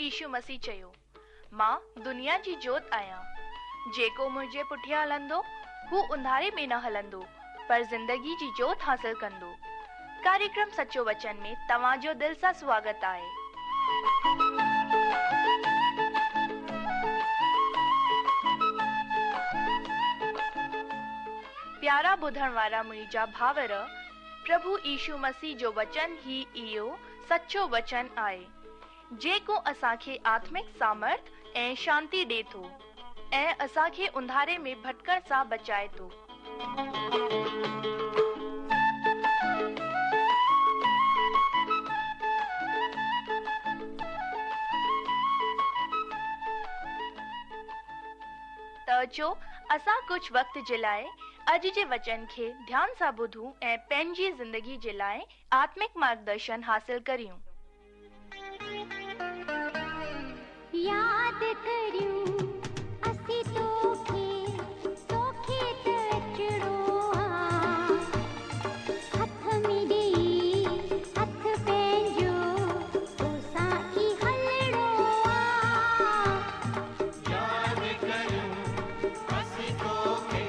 يشو مسيح چيو، مان دنيا جي جوت آهيان. جيڪو منهنجي پٺيان هلندو، هو انڌاري ۾ نه هلندو، پر زندگي جي جوت حاصل ڪندو. ڪاريڪرم سچو وچن ۾ توهان جو دل سان سواگت آهي. پيارا ٻڌڻ وارا منهنجا ڀائر، پرڀو يشو مسيح جو وچن ئي اهو سچو وچن آهي، جيڪو اسان کي آتمڪ سامرٿ ۽ شانتي ڏي ٿو ۽ اسان کي انڌاري ۾ ڀٽڪڻ سان بچائي ٿو. ته اچو اسان ڪجهه وقت جي لاء اڄ جي وچن کي ڌيان سان ٻڌون ۽ پنهنجي زندگي جي لاء آتمڪ مارگدرشن حاصل ڪريون. ياد ڪريون اسين توکي، توکي ته اچڻو آ. هٿ ۾ ڏيئي هٿ پنهنجو، توسان ئي هلڻو آ. ياد ڪريون اسين توکي،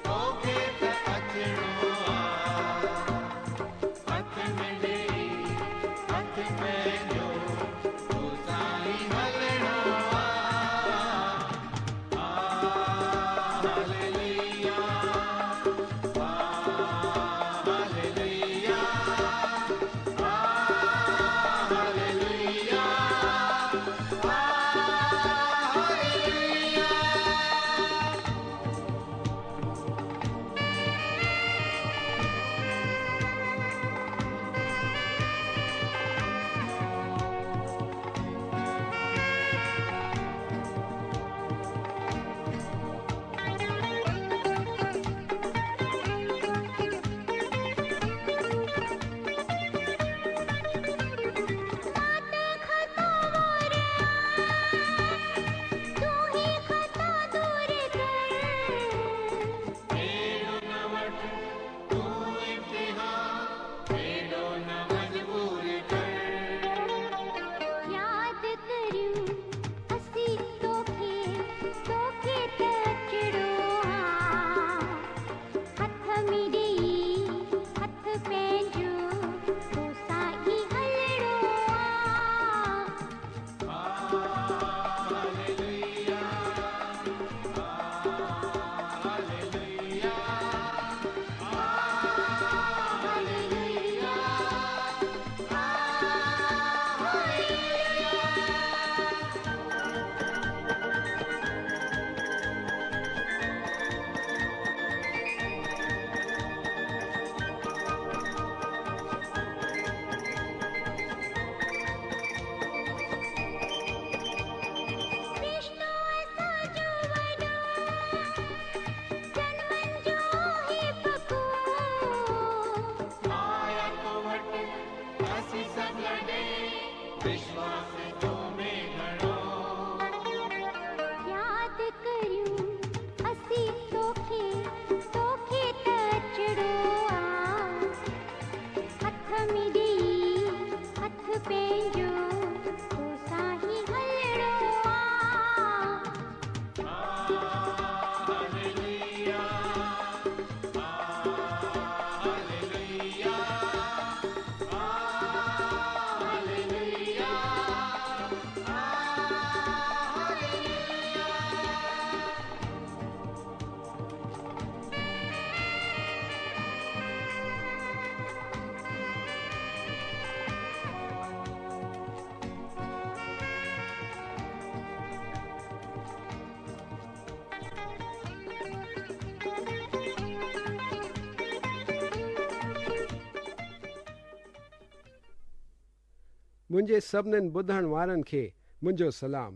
توکي ته اچڻو آ. هٿ ۾ ڏيئي هٿ پنهنجو، توسان ئي هلڻو آ. Hallelujah, hallelujah, hallelujah, hallelujah. مان ته خطاوار آهيان، تون هي خطا دور ڪر. اهڙو نه وٺ تون امتحان، ايڏو نه مجبور ڪر. ياد ڪريون اسين توکي، توکي ته اچڻو آ. هٿ ۾ ڏيئي هٿ پنهنجو، توسان ئي هلڻو آ. Hallelujah, hallelujah, hallelujah, hallelujah. رشتو اسان جو وڏو، جنمن جو هي پڪو. آيا تو وٽ اسين سڀ لڏي، وشواس تو ۾ گهڻو. ياد ڪريون اسين توکي، توکي ته اچڻو آ. هٿ ۾ ڏيئي هٿ پنهنجو، توسان ئي هلڻو آ. Hallelujah, hallelujah, hallelujah, hallelujah. منهنجي سڀنين ٻڌڻ وارن کي منهنجو سلام.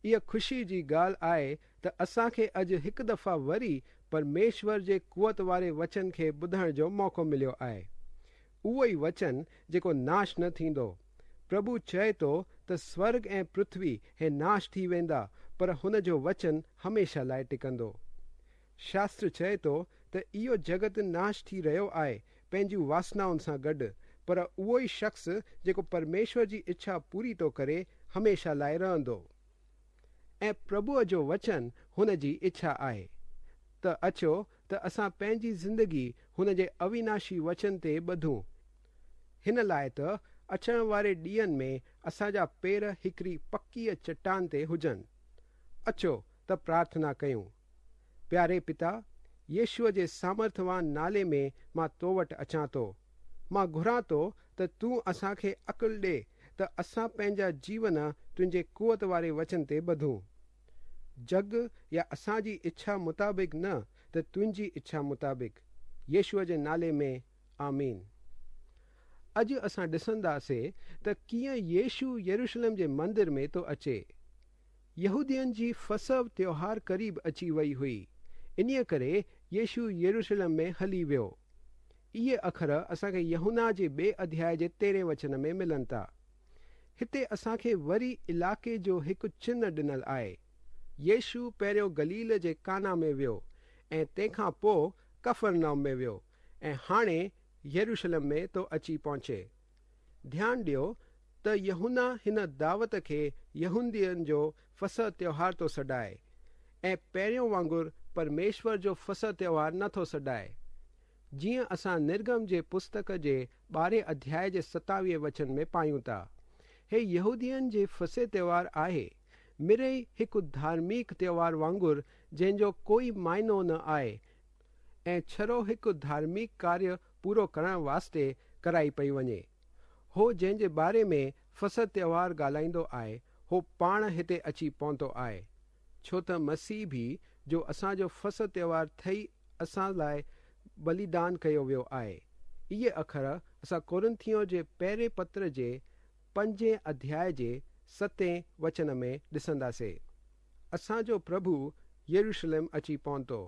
اها خوشي جي ڳالهه آهي ته اسان کي اڄ هڪ دفعا وري پرميشور جي قوت واري وچن کي ٻڌڻ جو موقعو مليو آهي. اهو ئي وچن جيڪو ناش نه ٿيندو. پرڀو چئي ٿو ته سورڳ ۽ پرٿوي هي ناش ٿي ويندا پر هن جو وچن هميشه لاء ٽڪندو. شاستر چئي ٿو ته اهو جڳت ناش ٿي رهيو آهي پنهنجون واسنائن سان گڏ، پر اهو ئي شخص جيڪو پرميشور جي اڇا پوري ٿو ڪري هميشه لاءِ رهندو. ۽ پرڀوءَ جو وچن هن جي اڇا آهي. ته اچو ته اسان پنهنجي زندگي هن جي اويناشي وچن تي ٻڌون. هن لاءِ ته اچڻ واري ڏينهن ۾ اسان جا پير هڪڙي پڪيءَ چٽان تي هجن. اچو ته پرارٿنا ڪيون. پياري پتا، يشوءَ جي سامرٿوان نالي ۾ مان تو وٽ اچان ٿو. مان گهران ٿو ته تون اسان کي عقل ڏي ته اسان پنهنجا جيون تنهنجي قوت واري وچن تي ٻڌون. جڳ يا اسان جي اڇا مطابق نه ته تنهنجي اڇا مطابق. يشوءَ جي نالي ۾ آمين. اڄ اسان ڏسنداسين ته ڪيئن يشو يروشلم جي مندر ۾ ٿو اچي. يهودين جي فسح تيوهار قريب اچي وئي هئي. انهيءَ ڪري يشو يروشلم ۾ هلي ويو. اهي اکر اسان کي يوحنا جي ٻئي اڌياءِ جي 13 وچن ۾ ملن ٿا. هتي اسان کي وري علائقي جو هڪ چنهه ڏنل آهي. يشو پهريون گليل جي ڪانا ۾ ويو ۽ تنهن کان پوءِ ڪفرنام ۾ ويو ۽ هاڻي يروشلم ۾ ٿو اچي پهچي. ڌيان ڏيو ته يوحنا هن دعوت کي يهودين جو فسح تيوهار ٿو سڏائي ۽ پهريون وانگر پرميشور جو فسح تيوهار نٿو سڏائي. جيئن اسان نرگم جي پستڪ جي 12 اڌياءِ جي 27 وچن ۾ پايون ٿا. هي يهودين جي فسح تيوهار آهي، مڙئي هڪ ڌارمڪ تيوهار وانگر جنهن جو ڪوئي معنو نه آهي ۽ ڇڙو هڪ ڌارمڪ ڪاريه پورو ڪرڻ واسطي ڪرائي پئي وڃي. هو جنهن جي باري ۾ فسح تيوهار ڳالهائيندو آهي، هو پاڻ هتي اچي پهتو آهي. ڇو ته مسيح به جو اسان جو فسح تيوهار ٿي اسان لاءِ ٻليدان ڪيو ويو آهي. اهي اکر اسان ڪورنٿيون جي پهرين پتر جي 5 اڌياءِ جي 7 وچن ۾ ڏسنداسين. اسان جو پرڀو يروشلم اچي پهتو.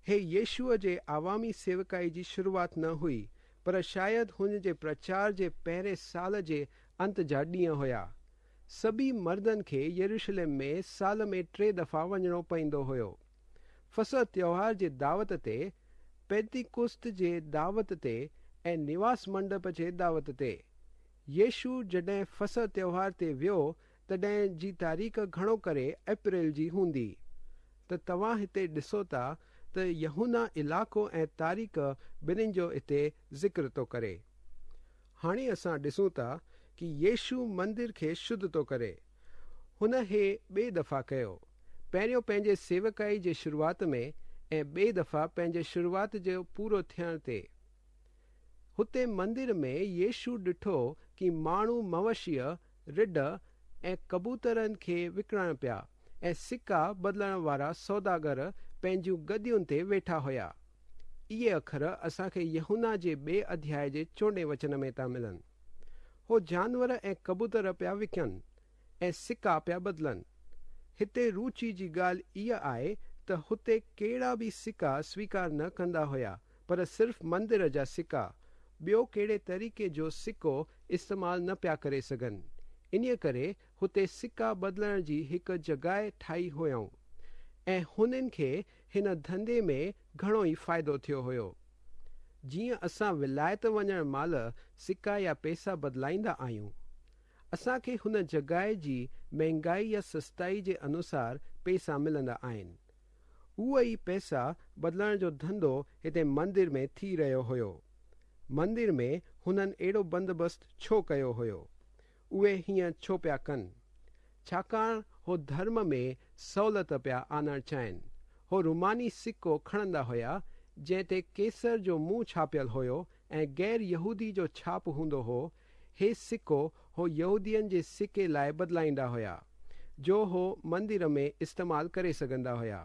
هي يشوءَ جي عوامي سيوڪائي جي شروعات نه هئي، پر شايد هن جي پرچار جي پهرين سال جي انت جا ڏينهن هيا. سڀئي مردن کي يروشلم ۾ سال ۾ 3 دفعا وڃڻو پوندو هيو. فسح تيوهار جي دعوت تي، پينتيڪوست جي دعوت تي ۽ نواس منڊپ جي دعوت تي. يشو جڏهن فسح تيوهار تي ويو تڏهن جي تاريخ گهڻو ڪري اپريل جي هوندي. ته توهان هتي ڏسو ٿا ته يوحنا علائقو ۽ تاريخ ٻنهين جو هتي ذڪر ٿو ڪري. هاڻي اسان ڏسون ٿا ڪه يشو مندر کي شڌ ٿو ڪري. هن هي ٻئي دفعا ڪيو. پهريون پنهنجي سيوڪائي جي شروعات ۾ ۽ ٻئي دفعا پنهنجي شروعات جو پورو ٿيڻ تي. هتي مندر ۾ يشو ڏٺو ڪه ماڻهو مويشيءَ، رڍ ۽ ڪبوترن کي وڪڻڻ پيا ۽ سڪا بدلڻ وارا سوداگر پنهنجون گدين تي ويٺا هيا. اهي اکر اسان کي يوحنا جي 2 اڌياءِ جي 14 وچن ۾ ٿا ملن. هو جانور ۽ ڪبوتر پيا وڪڻن ۽ سڪا پيا بدلن. هتي رچي جي ڳالهه اها آهي ته هتي ڪهڙا به سڪا سويڪار نه ڪندا هيا، پر صرف مندر جا سڪا. ٻيو ڪهڙي طريقي جو سڪو استعمال نه پيا ڪري سگهن. انهيءَ ڪري هتي سڪا بدلڻ جي هڪ جڳهه ٺاهي هيائون ۽ هنن کي هن ڌنڌي ۾ گهڻو ئي فائدو ٿيو هيو. جيئن اسان ولايت وڃڻ مهل سڪا يا پئسا بدلائيندا آهيون، اسان کي هن جڳهه جي مهنگائي يا سستائي جي انوسار پئسا ملندا آهن. اهو ئي پئسا بدلڻ جو ڌنڌو هتي مندر ۾ ٿي رهيو هيو. مندر ۾ هنن اهڙو بندوبست ڇو ڪيو هيو؟ اهي هيئن ڇو پيا ڪن؟ ڇاڪاڻ هو ڌرم ۾ سهوليت پيا آڻڻ چاهين. هو روماني سڪو کڻندا هيا جنهن تي قيصر جو منهن ڇاپيل هيو ۽ غير يهودي جو ڇاپ هوندو هو. هي سڪو هو يهودين جي سڪي لاءِ بدلائيندا هيا، جو هو مندر ۾ استعمال ڪري سگهندا هيا.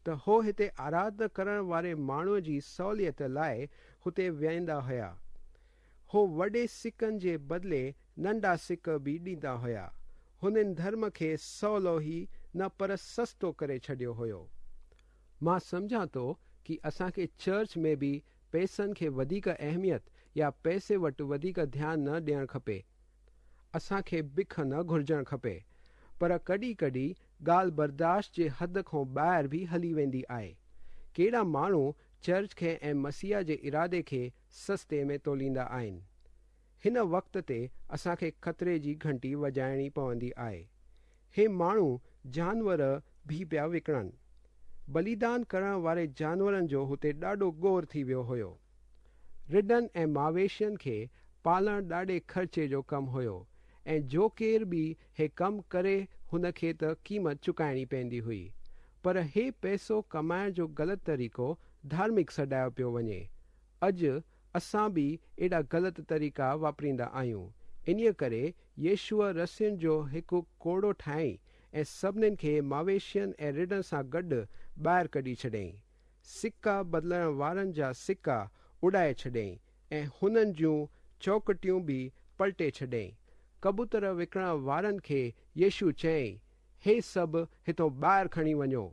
ته هو هتي آراڌنا ڪرڻ واري ماڻهوءَ جي سهوليت لاءِ هتي ويهندا هيا. هو وڏي سڪن جي بدلي ننڍا سڪ به ڏيندا هيا. هنن ڌرم کي سولو ئي نه پر سستو ڪري ڇڏيو هيو. مان سمجهان ٿو ڪه اسان کي چرچ ۾ به پئسن کي وڌيڪ اهميت يا پئسي وٽ وڌيڪ ڌيان نه ڏيڻ کپي. اسان کي بک نه گهرجڻ کپي، پر ڪڏهن ڪڏهن ڳالهه برداشت جي حد کان ٻاهر به هلي ويندي آهي. ڪهڙا ماڻهو چرچ کي ۽ مسيح جي ارادي کي سستي ۾ توليندا آهن. هن وقت تي اسان کي خطري جي گهنٽي وڄائڻي پوندي آهي. هي ماڻهو جانور به پيا وڪڻن. بليدان ڪرڻ واري جانورن جو هتي ڏاڍو گوڙ ٿي ويو هيو. رڍن ۽ مويشين کي پالڻ ڏاڍي خرچي جو ڪم هيو ۽ جو ڪير به هي ڪم ڪري هن کي ته قيمت چڪائڻي پوندي هئي. پر هي پئسو ڪمائڻ جو غلط طريقو ڌارمڪ سڏايو پيو وڃي. اڄ اسان به ايڏا غلط طريقا واپريندا آهيون. انهيء ڪري يشوع رسين جو هڪ ڪوڙو ٺاهيائين ۽ سڀنين کي مويشين ۽ رڍن سان گڏ ٻاهر ڪڍي ڇڏيائين. سڪا بدلڻ وارن جا سڪا اڏائي ڇڏيائين ۽ هنن جون چوڪٽيون به پلٽي ڇڏيائين. ڪبوتر وڪڻڻ وارن کي يشوع چيائين، هي سڀ هتون ٻاهر کڻي وڃو.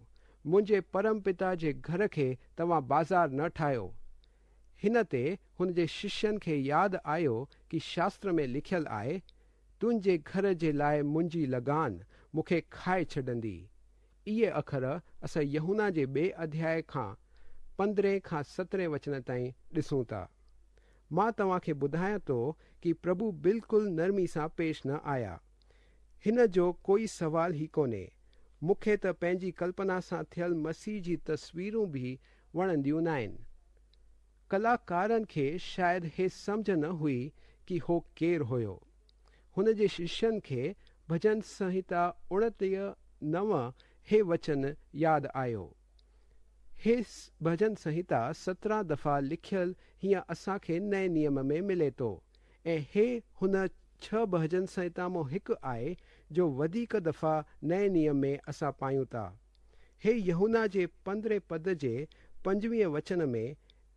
منهنجي پرم پتا جي گهر کي توهان بازار نه ٺاهيو. هن تي هن جي ششين کي ياد آيو ڪي شاستر ۾ لکيل آهي، تنهنجي گهر جي لاء منهنجي لگان مون کي کائي ڇڏندي. اهي اکر اسان يوحنا جي ٻئي اڌياء کان 15 کان 17 وچن تائين ڏسون ٿا. مان توهان کي ٻڌايان ٿو ڪي پرڀو بلڪل نرمي سان پيش نه آيا. هن جو ڪوئي سوال ئي ڪونهي. مون کي ته پنهنجي ڪلپنا سان ٿيل مسيح جي تصويرون به وڻنديون ناهن. ڪلاڪارن کي شايد هي سمجهه نه هئي ڪي هو ڪير هيو. هن جي ششين کي ڀڄن سنهتا 29:9 هي وچن ياد آيو. هي ڀڄن سنهتا 17 دفعا لکيل هيئن اسان کي نئين نيم ۾ ملي ٿو ۽ هي هن 6 ڀڄن سنهتا مان هڪ آهي جو وڌيڪ دفعا نئين نيم ۾ اسان پايون ٿا. هي يوحنا جي 15 پد جي 25 وچن ۾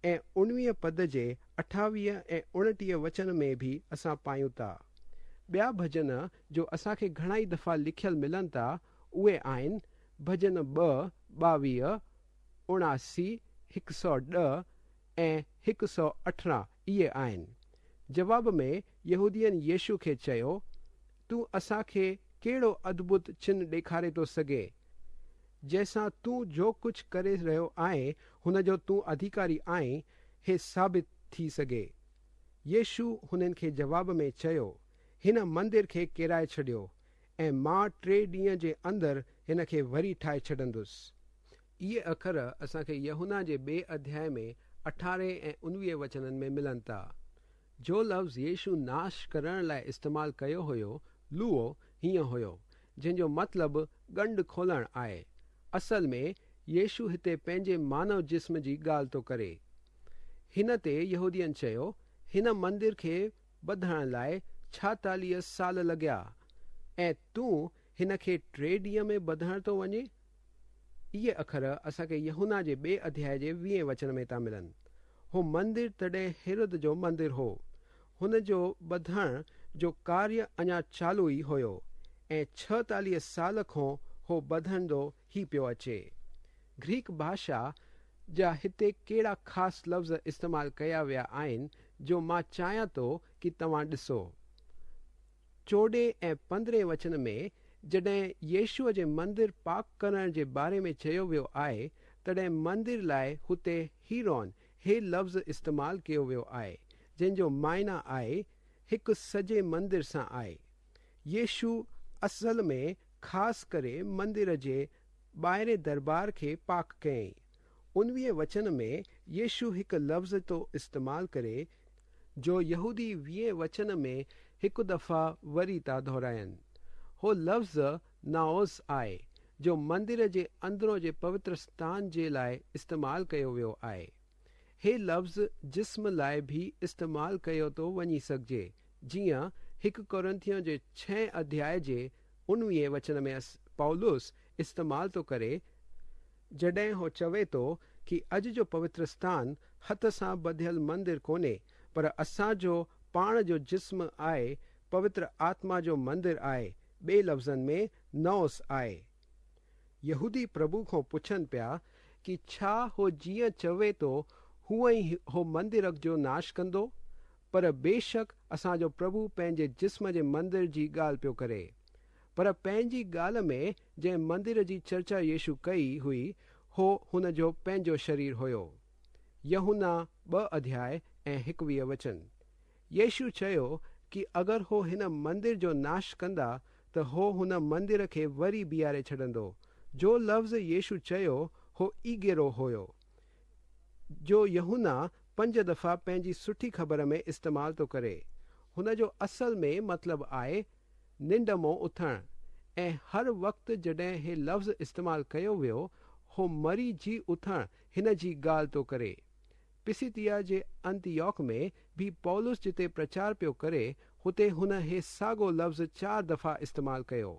۽ 19 پد جي 28 ۽ 29 وچن ۾ به اسان پايون ٿا. ٻيا ڀڄن جو اسان کي گهڻائي دفعا لکيل ملن ٿا اهي آهن ڀڄن 2، 22، 79، 110 ۽ 118 اهي آهن. جواب ۾ يهودين يشوع کي چيو، تون اسان کي ڪهڙو ادڀت چن ڏيکاري ٿو سگهين، جنهن سان تون جو ڪجهه ڪري رهيو آهين هن جو تون اڌيڪاري آهين، هي ثابت ٿي سگهي؟ يشوع هنن کي جواب ۾ چيو، هن مندر کي ڪيرائي ڇڏيو ۽ مان 3 ڏينهن جي اندر هن کي وري ٺاهي ڇڏندس. اهي اکر اسان کي يوحنا جي ٻئي اڌياء ۾ 18 ۽ 19 وچنن ۾ ملن ٿا. جو لفظ يشوع ناش ڪرڻ لاء استعمال ڪيو هيو، لوئو، هيئن هيو، جنهن جو مطلب ڳنڍ کولڻ آهي. اصل ۾ يشوع هتي پنهنجي مانو جسم جي ڳالهه ٿو ڪري. هن تي يهودين چيو، هن مندر کي ٻڌڻ لاء 46 سال لڳيا ۽ تون هن کي 3 ڏينهن ۾ ٻڌڻ ٿو وڃين؟ اهي اکر اسان کي يوحنا جي ٻئي اڌياء جي 20 وچن ۾ ٿا ملن. هو مندر تڏهن هيرود جو مندر هو. هن جو ٻڌڻ جو ڪاريه اڃا چالو ئي هيو ۽ 46 سال کان هو ٻڌندو ئي پيو اچي. گريڪ ڀاشا جا هتي ڪهڙا خاص لفظ استعمال ڪيا ويا آهن جو مان چاهيان ٿو ڪي توهان ڏسو. 14 ۽ 15 وچن ۾ جڏهن يشوع جي مندر پاڪ ڪرڻ جي باري ۾ چيو ويو آهي، تڏهن مندر لاء هتي هيرون هي لفظ استعمال ڪيو ويو آهي، جنهن جو معنيٰ آهي هڪ سڄي مندر سان آهي. يشوع اصل ۾ خاص ڪري مندر جي ٻاهرين دربار کي پاڪ ڪيائين. 19 وچن ۾ يشوع هڪ لفظ ٿو استعمال ڪري، جو يهودي 20 وچن ۾ هڪ دفعا وري ٿا دهرائين. هو لفظ نائوس آهي، جو مندر جي اندرون جي پوتر اسٿان جي لاء استعمال ڪيو ويو آهي. هي لفظ جسم لاء به استعمال ڪيو ٿو وڃي سگهجي، جيئن 1 ڪورنٿيون جي 6 اڌياء جي 19 وچن ۾ پولس استعمال ٿو ڪري، جڏهن هو چوي ٿو ڪي اڄ جو پوتر اسٿان هٿ سان ٻڌيل مندر ڪونهي، پر اسان جو پاڻ جو جسم آهي، پوتر آتما جو مندر آهي، ٻئي لفظن ۾ نائوس آهي. يهودي پرڀو کان پڇن پيا ڪي ڇا هو جيئن چوي ٿو هونئن ئي هو مندر جو ناش ڪندو؟ پر بيشڪ اسان جو پرڀو پنهنجي جسم جي مندر جي ڳالهه پيو ڪري. پر پنهنجي ڳالهه ۾ جنهن مندر جي چرچا يشوع ڪئي هئي، هو هن جو پنهنجو شرير هيو. يوحنا 2 اڌياء ۽ 21 وچن. يشو چيو ڪه اگر هو هن مندر جو ناش ڪندا ته هو هن مندر کي وري بيهاري ڇڏندو. جو لفظ يشو چيو هو اگيرو هيو، جو يوحنا 5 دفعا پنهنجي سٺي خبر ۾ استعمال ٿو ڪري. هن جو اصل ۾ مطلب آهي ننڊ مون اٿڻ ۽ هر وقت جڏهن هي لفظ استعمال ڪيو ويو هو مري جي اٿڻ هن جي ڳالهه ٿو ڪري. پسيديا جي انتيوڪ ۾ به پولس جتي پرچار پيو ڪري هتي هن هي ساڳو لفظ 4 دفعا استعمال ڪيو.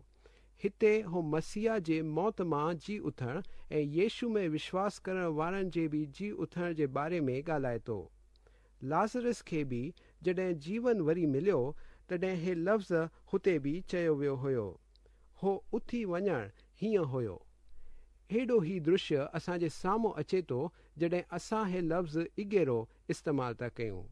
هتي هو مسيح جي موت مان جي اٿڻ ۽ يشو ۾ وشواس ڪرڻ وارن جي به جي اٿڻ جي باري ۾ ڳالهائي ٿو. لازرس کي به جڏهن جيون وري مليو تڏهن هي لفظ هتي به چيو ويو هيو. هو اٿي وڃڻ هيئن هيو. هيڏو هي درشيه اسان جي سامهون اچي ٿو جڏهن اسان هي لفظ اگيرو استعمال ٿا ڪيون.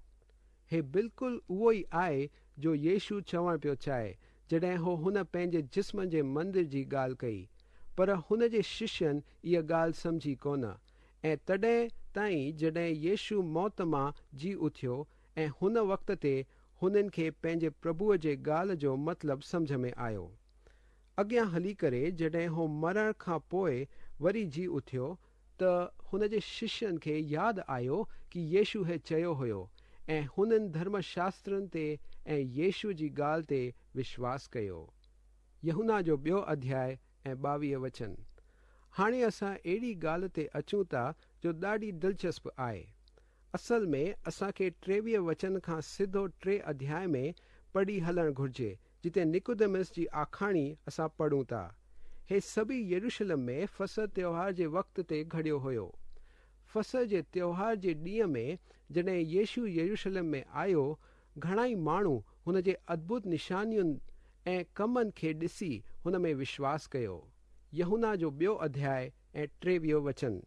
هي بلڪل اهو ئي آهي جو يشو چوڻ پيو چاهي جڏهن هو هن پنهنجي جسم جي مندر جي ڳالهه ڪئي. پر هن جي ششين اها ڳالهه سمجهي ڪونه ۽ تڏهن تائين جڏهن يشو موت مان جي اٿيو ۽ هن وقت تي هنن کي پنهنجي پرڀوءَ جي ڳالهه جو مطلب سمجهه ۾ آيو. اڳيان هلي ڪري جڏهن هو مرڻ کان پوءِ وري جي اٿيو ته هن جي ششين کي ياد آيو ڪه يشو هي چيو هيو ۽ هنن ڌرم شاسترن تي ۽ يشو جي ڳالهه تي وشواس ڪيو. يوحنا جو 2 اڌياء ۽ 22 وچن. هاڻي اسان اهڙي ڳالهه تي اچون ٿا جو ڏاڍي دلچسپ آهي. اصل ۾ اسان کي 23 وچن کان سڌو 3 اڌياء ۾ پڙهي هلڻ گهرجي جتي نڪوديمس جي آکاڻي اسان پڙهون ٿا. هي سڀئي يروشلم ۾ فصح تيوهار جي وقت تي گهڙيو هيو. فصح جي تيوهار جي ڏينهن ۾ جڏهن يشو يروشلم ۾ آيو، گهڻائي ماڻهو هن جي ادڀت نشانين ۽ ڪمن کي ڏسي هن ۾ وشواس ڪيو. يوحنا جو 2 اڌياء ۽ 23 وچن.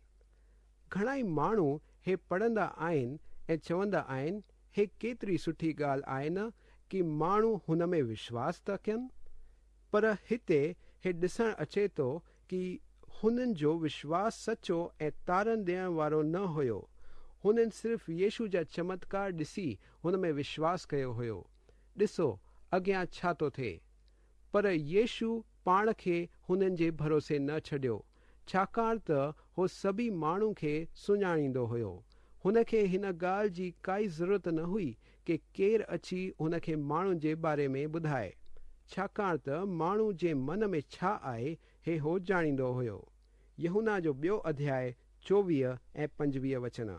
گهڻائي ماڻهو هي پڙهندا آهن ۽ چوندا آهن هي ڪيتري سٺي ڳالهه آهي نه ڪه ماڻهو هن ۾ وشواس ٿا ڪن. پر هتي هي ڏسڻ اچي ٿو ڪه هنن جو وشواس سچو ۽ تارن ڏيڻ وارو نه هيو. هنن صرف يشو جا چمتڪار ڏسي هن ۾ وشواس ڪيو هيو. ڏسو اڳيان ڇا ٿو ٿئي. پر يشو پاڻ کي هنن جي ڀروسي نه ڇڏيو، ڇاڪاڻ ته هو سڀئي ماڻهو کي سڃاڻيندو هيو. هن کي هن ڳالهه جي ڪائي ضرورت نه هئي ڪه ڪير اچي هن کي ماڻهن جي باري ۾ ٻڌائي، ڇاڪاڻ ته ماڻهو جي من ۾ ڇا آهي هي هو ڄاڻيندو هيو. يوحنا جو 2 اڌياء 24 ۽ 25 وچن.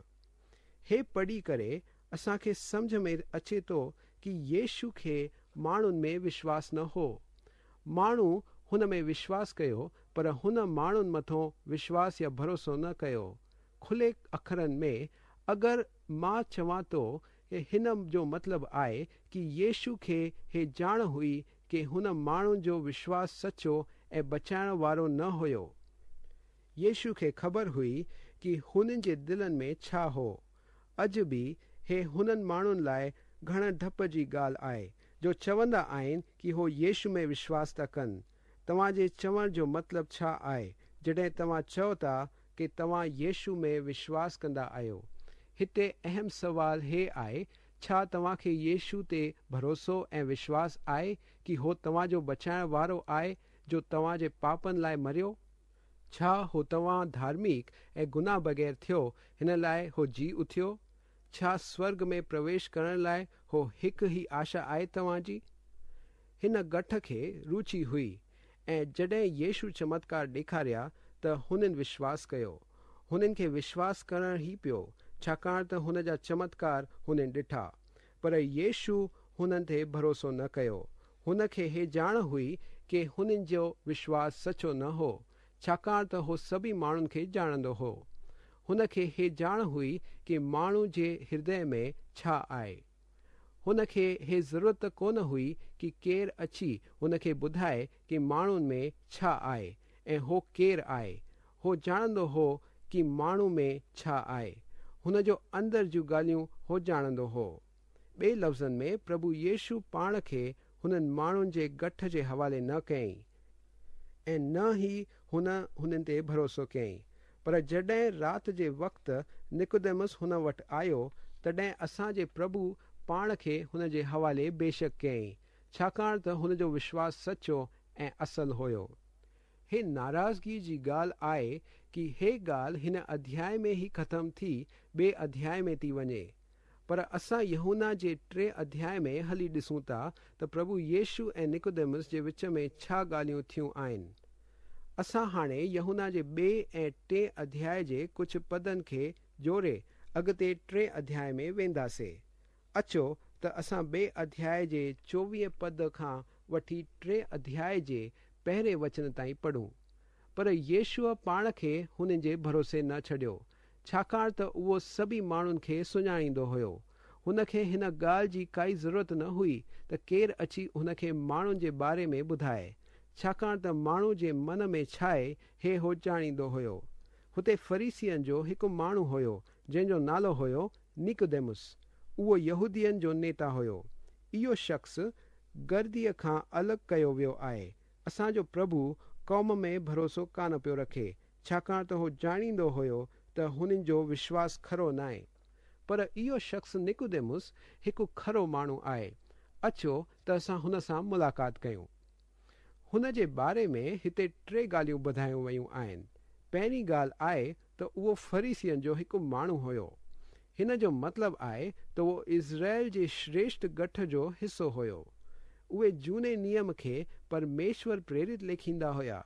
هي پڙهي ڪري اسان کي سمجهه ۾ اچي ٿو ڪه يشو کي ماڻهن ۾ وشواس نه هو. ماڻهو هن ۾ وشواس ڪيو پر هن ماڻهن مٿون وشواس يا ڀروسو نه ڪيو. کلي اکرن ۾ اگر مان چوان ٿو هن جو مطلب آهي ڪه يشو کي هي ڄاڻ هئي ڪه هن ماڻهن جو وشواس سچو ۽ بچائڻ وارو نه هيو. يشو کي خبر هئي ڪه هنن جي دلن ۾ ڇا هو. اڄ به هي هنن ماڻهن لاءِ گهڻ ڊپ جي ڳالهه آهي جو چوندا آهن ڪه هو يشو ۾ وشواس ٿا ڪن. توهان جي چوڻ جو مطلب ڇا آهي جڏهن توهان چئو ٿا ڪه توهان يشو ۾ وشواس ڪندا آهيو؟ هتي اهم سوال هي آهي، ڇا توهان کي يشو تي ڀروسو ۽ وشواس آهي ڪه هو توهان جو بچائڻ وارو آهي جو توهان جي پاپن لاءِ مريو؟ ڇا هو توهان ڌارمڪ ۽ گناهه بغير ٿيو هن لاءِ هو جي اٿيو؟ ڇا سورگ ۾ پرويش ڪرڻ لاءِ هو هڪ ئي آشا آهي توهان جي؟ هن ڳٺ کي رچي هئي ۽ جڏهن يشو چمتڪار ڏيکاريا ته هنن وشواس ڪيو. هنن کي وشواس ڪرڻ ئي پيو ڇاڪاڻ ته هن جا چمتڪار هنن ڏٺا. پر يشو هنن تي ڀروسو نه ڪيو. هن کي هي ڄاڻ هئي ڪه هنن جو وشواس سچو نه هو، ڇاڪاڻ ته هو سڀئي ماڻهن کي ڄاڻندو هو. هن کي هي ڄاڻ هئي ڪه ماڻهو جي هردي ۾ ڇا آهي. هن کي هي ضرورت ڪونه هئي ڪه ڪير اچي هن کي ٻڌائي ڪه ماڻهن ۾ ڇا آهي ۽ هو ڪير آهي. هو ڄاڻندو هو ڪه ماڻهو ۾ ڇا آهي. هن جو اندر جون ڳالهيون هو ڄاڻندو هو. ٻئي لفظن ۾ پرڀو يشو پاڻ کي هنن ماڻهن جي ڳٺ جي حوالي نه ڪيائين ۽ نه ئي هن هنن تي ڀروسو ڪيائين. پر جڏهن رات جي وقت نڪوديمس هن وٽ آيو، تڏهن اسان جي پرڀو پاڻ کي هن جي حوالي بيشڪ ڪيائين، ڇاڪاڻ ته هن جو وشواس سچو ۽ اصل هيو. هي ناراضگي جي ڳالهه آهي ڪي هي ڳالهه هن اڌياء ۾ ئي ختم ٿي ٻئي اڌياء ۾ ٿي وڃي. پر اسان يوحنا جي ٽئين اڌياء ۾ هلي ڏسون ٿا ته پرڀو يشو ۽ نڪوديمس جي وچ ۾ ڇا ڳالهيون ٿيون آهن. اسان هاڻي يوحنا جي ٻئي ۽ ٽئين اڌياء جي ڪجهه پدن کي جوڙي اڳتي ٽئين اڌياء ۾ وينداسي. اچو ته اسان ٻئي اڌياء جي 24 پد کان وٺي ٽئين اڌياء جي پهرين وچن تائين پڙهون. پر يشوع پاڻ کي هنن جي ڀروسي نه ڇڏيو، ڇاڪاڻ ته اهو سڀئي ماڻهن کي سڃاڻيندو هيو. هن کي هن ڳالهه جي ڪائي ضرورت نه هئي ته ڪير اچي هن کي ماڻهن جي باري ۾ ٻڌائي، ڇاڪاڻ ته ماڻهو جي من ۾ ڇاهي هي هو ڄاڻيندو هيو. هتي فريسين جو هڪ ماڻهو هيو جنهن جو نالو هيو نيڪوديمس. اهو يهودين جو نيتا هيو. اهو شخص گرديء کان الڳ ڪيو ويو آهي. اسان جو پرڀو قوم ۾ ڀروسو ڪانه پيو رکي، ڇاڪاڻ ته هو ڄاڻيندو هيو ته هنن جو وشواس کرو ناهي. پر اهو شخص نڪوديمس هڪ کرو ماڻهو آهي. اچو ته اسان هن سان ملاقات ڪيون. هن جي باري ۾ هتي ٽي ڳالهيون ٻڌايون ويون آهن. پهرين ڳالهه آهي ته اهو فريسين جو هڪ ماڻهو هيو. هن جو مطلب آهي ته اهو اسرائيل جي شريشٺ ڳٺ جو حصو هيو. اهي جهوني نيم کي پرميشور پريرت ليکيندا هيا.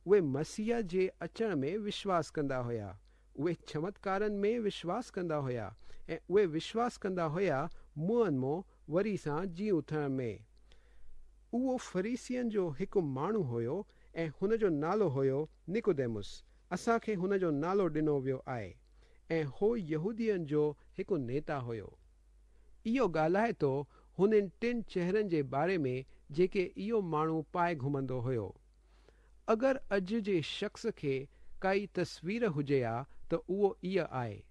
اهي مسيح جي اچڻ ۾ وشواس ڪندا هيا. اهي چمتڪارن ۾ وشواس ڪندا هيا ۽ اهي وشواس ڪندا هيا مئن مون وري سان جي اٿڻ ۾. اهو فريسين جو هڪ ماڻهو هيو ۽ هن جو نالو هيو نڪوديمس. اسان کي هن جو نالو ڏنو ويو آهي ۽ هو يهودين جو هڪ نيتا هيو. اهو ڳالهائي ٿو هنن ٽن چهرن جي باري ۾ جيڪي اهو ماڻهو پائي گهمندو هيو. اگر اڄ جي شخص کي ڪائي تصوير هجي ها ته اهو اها آهي.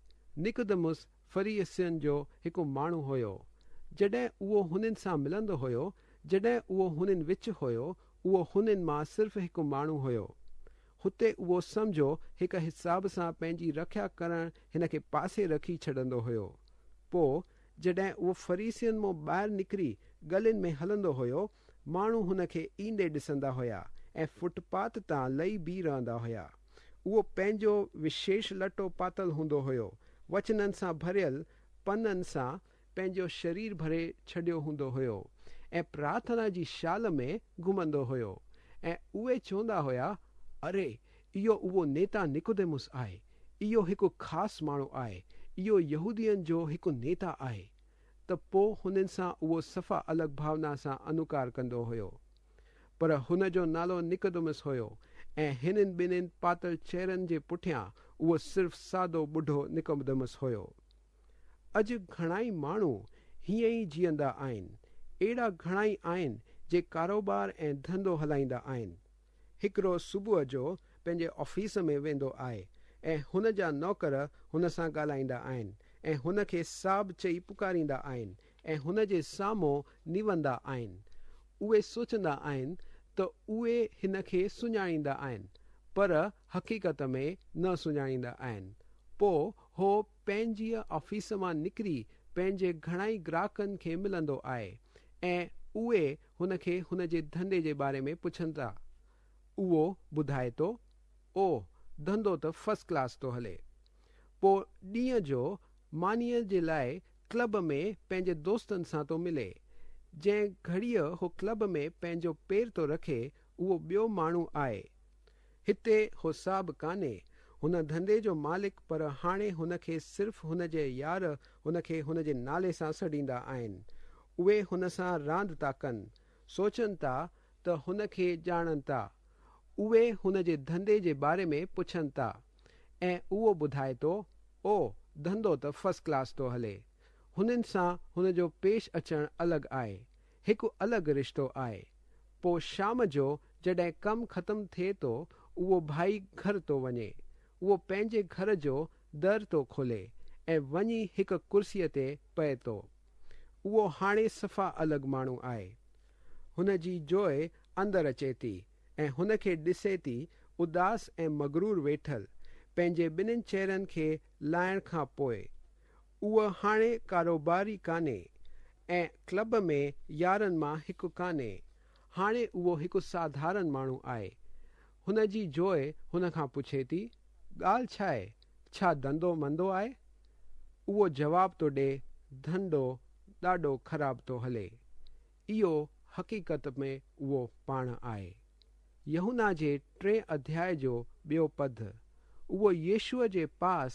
نڪوديمس فريسين جو هڪ ماڻهو هيو. جڏهن اهو هنن سان ملندو هيو، جڏهن اهو هنن وچ هيو، اهو هنن مان صرف هڪ ماڻهو هيو. هتي اهو سمجهو هڪ حساب سان پنهنجي رکيا ڪرڻ هن کي پاسي رکي ڇڏندو هيو. پوء جڏهن اهو فريسين مان ٻاهر نڪري ڳلين ۾ هلندو هيو، ماڻهو هن کي ايندي ڏسندا هيا ۽ فٽ پاٿ تان لهي بيهي رهندا هيا. اهو پنهنجو وشيش لٽو پاتل هوندو هيو. وچنن سان ڀريل پنن سان پنهنجو شرير ڀري ڇڏيو هوندو هيو ۽ پرارٿنا جي شال ۾ گهمندو هيو ۽ اهي چوندا هيا، اري، اهو اهو نيتا نڪوديمس آهي. اهو هڪ خاص ماڻهو آهي. اهو يهودين جو هڪ نيتا آهي. ته پوء هنن سان اهو صفا الڳ ڀاونا سان انوڪار ڪندو هيو. پر هن جو نالو نڪوديمس هيو ۽ هنن ٻنهين پاتل چهرن جي پٺيان اهو صرف سادو ٻڍو نڪوديمس هيو. اڄ گهڻائي ماڻهو هيئن ئي جيئندا آهن. اهڙا گهڻائي آهن جي ڪاروبار ۽ ڌنڌو هلائيندا آهن. هڪڙو صبح جو پنهنجي آفيس ۾ ويندو آهي ۽ هن جا نوڪر هن سان ڳالهائيندا آهن ۽ هن کي صاحب چئي پڪاريندا آهن ۽ هن جي سامهون نوندا آهن. اهي سوچندا آهن ته اهي هن کي سڃاڻيندا آهن پر حقيقت ۾ نه سڃاڻيندا آهن. پوء هو پنهنجيء آفيس مان نڪري پنهنجي گهڻائي گراهڪن کي ملندو آهي ۽ اهي هن کي هن جي ڌنڌي جي باري ۾ پڇن ٿا. اهو ٻڌائي ٿو، او، ڌنڌو ته فرسٽ ڪلاس ٿو هلي. پوء ڏينهن جو مانيء جي لاء ڪلب ۾ پنهنجي دوستن سان ٿو ملي. جنهن گهڙيء هو ڪلب ۾ پنهنجو پير ٿو رکي، اهو ٻيو ماڻهو آهي. هتي هو صاحب ڪانهي، هن ڌنڌي جو مالڪ، پر هاڻي هن کي صرف هن جي يار هن کي هن جي نالي سان سڏيندا آهن. اهي هن سان راند ٿا ڪن، سوچن ٿا ته هن کي ڄاڻن ٿا. اهي هن جي ڌنڌي جي باري ۾ پڇن ٿا ۽ اهو ٻڌائي ٿو، او، ڌنڌو ته فرسٽ ڪلاس ٿو هلي. هنن سان هن جو پيش اچڻ الڳ آهي. هڪ الڳ رشتو آهي. پوء شام جو جڏهن ڪم ختم ٿئي ٿو، اهو ڀائي گهر ٿو وڃي. اهو پنهنجي گهر جو در ٿو کولي ۽ وڃي هڪ ڪرسيء تي پئي ٿو. اهو هاڻي صفا الڳ ماڻهو آهي. هن جي جوء اندر اچي ٿي ۽ هن کي ڏسي ٿي اداس ۽ مغرور ويٺل، پنهنجي ٻنهين چهرن کي لاهڻ کان پوء. اهو هاڻي ڪاروباري ڪانهي ۽ ڪلب ۾ يارن مان هڪ ڪانهي. هاڻي اهو هڪ ساڌارن ماڻهو آهي. هن جي جوء هن کان پڇي ٿي، ڳالهه ڇا آهي؟ ڇا ڌنڌو مندو آهي؟ اهو جواب ٿو ڏي، ڌنڌو ڏاڍو خراب ٿو هلي. اهو حقيقت ۾ اهو پاڻ آهي. يوحنا جي ٽئين اڌياء جو ٻيو پد. اهو يسوع جي پاس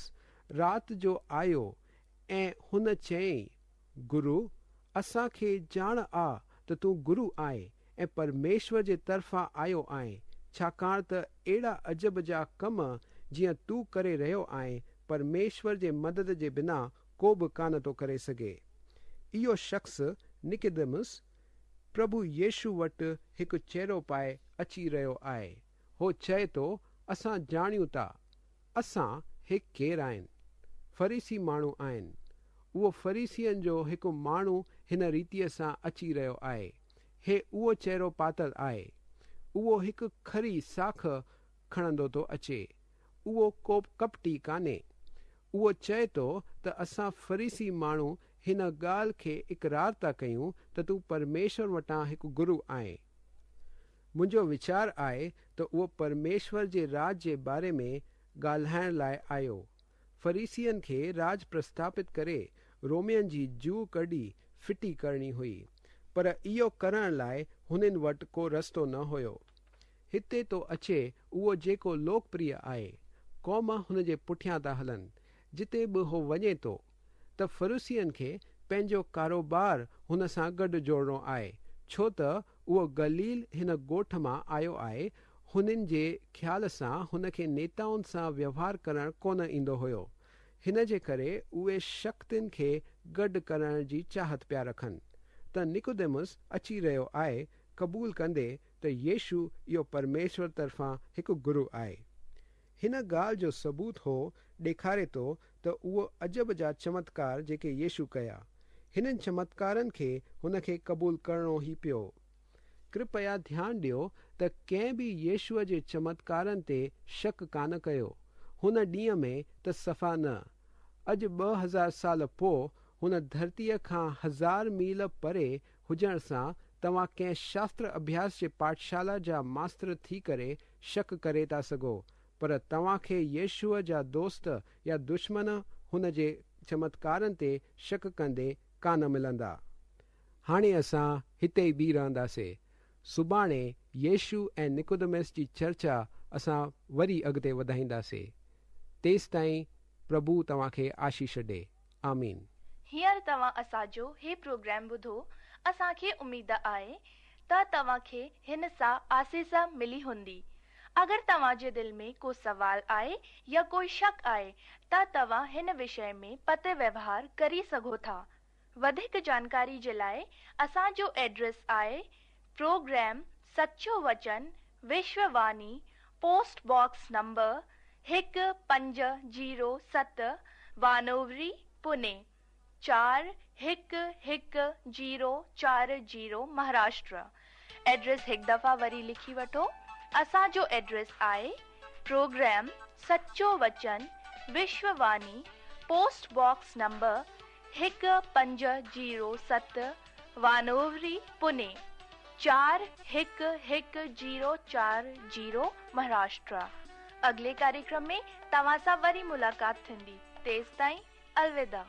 رات جو آيو ۽ هن چيائين، گرو، اسان کي ڄاڻ آ ته تون گرو آهين ۽ پرميشور جي طرفان آيو آهين، ڇاڪاڻ ته اهڙا عجب جا ڪم جيئن تون ڪري رهيو آهين، پرميشور جي مدد جي بنا ڪو به ڪانه ٿو ڪري سگهي. اهو شخص نڪوديمس پرڀو يسوع وٽ هڪ چهرو پائي اچي رهيو آهي. هو چئي ٿو، اسان ڄاڻيون ٿا. اسان هي ڪير آهن؟ فريسي ماڻهو آهن. اهو فريسين جو هڪ ماڻهو هن ريتيء سان اچي رهيو آهي. هي اهو چهرو پاتل آهي. اهو هڪ کري ساک کڻندو ٿو اچي. اهو ڪو ڪپٽي ڪانهي. اهو چئي ٿو ته اسان فريسي ماڻهو هن ڳالهه کي اقرار ٿا ڪيون ته تون پرميشور وٽان هڪ گرو آهين. منهنجو ويچار آهي ته اهو پرميشور جي راڄ جي باري ۾ ڳالهائڻ لاء آيو. فريسين کي راڄ پرسٿاپت ڪري رومين جي جوء ڪڍي ڦٽي ڪرڻي هئي. پر اهو ڪرڻ لاء هنن وٽ ڪو رستو نه هيو. هتي ٿو اچي اهو جيڪو لوڪپريه آهي. قوم هن جي پٺيان ٿا هلن. جتي به هو وڃي ٿو. ته فريسين کي پنهنجو ڪاروبار هن سان گڏ جوڙڻو آهي، ڇو ته اهو گليل هن ڳوٺ مان آيو آهي، هنن جي خيال سان هن کي نيتائن سان ويوهار ڪرڻ ڪونه ايندو هيو، هن جي ڪري اهي شڪتين کي گڏ ڪرڻ جي چاهت پيا رکن. ته نڪوديمس اچي رهيو آهي قبول ڪندي ته يسوع اهو پرميشور طرفان هڪ گرو آهي. هن ڳالهه جو ثبوت هو ڏيکاري ٿو ته اهو عجب جا چمتڪار جيڪي يسوع ڪيا. هنن چمتڪارن کي هن کي قبول ڪرڻو ئي پيو. ڪرپيا ڌيان ڏيو ته ڪنهن به يسوع جي چمتڪارن تي شڪ ڪانه ڪيو. هن ڏينهن ۾ ته صفا نه. اڄ 2000 سال پوء هن ڌرتيء کان هزار ميل پري هجڻ سان توهان ڪنهن شاستر اڀياس جي پاٺشالا جا ماستر ٿي ڪري شڪ ڪري ٿا سگهو، پر توهان کي يسوع جا دوست يا دشمن هن جي چمتڪارن تي شڪ ڪندي ڪانه ملندا. هاڻي اسان هتي ئي بيهي رهنداسي. سڀاڻي يسوع ۽ نڪوديمس جي چرچا اسان وري اڳتي وڌائينداسي. تيستائين پرڀو توهان کي آشيش ڏي. آمين. هينئر توهان اسان جو هي پروگرام ٻڌو، اسان کي اميد آهي ته توهان کي هن سان آسيس ملي هوندي. اگر توهان جي دل ۾ ڪو سوال آهي يا ڪوئي شڪ آهي ته توهان هن وشي ۾ پتر ويوهار ڪري سگهو ٿا. وڌيڪ جانڪاري جي لاء اسان جو ايڊريس آهي پروگرام سچو وچن Vishwa Vani post box number 1507 Wanowrie Pune 411040 Maharashtra. Address هڪ دفعا وري لکي وٺو. اسان جو ايڊريس آهي پروگرام سچو وچن Vishwa Vani post box number 1507 Wanowrie Pune 411040 Maharashtra. اڳلي ڪاريڪرم ۾ توهان سان وري ملاقات ٿيندي. تيستائين الوداع.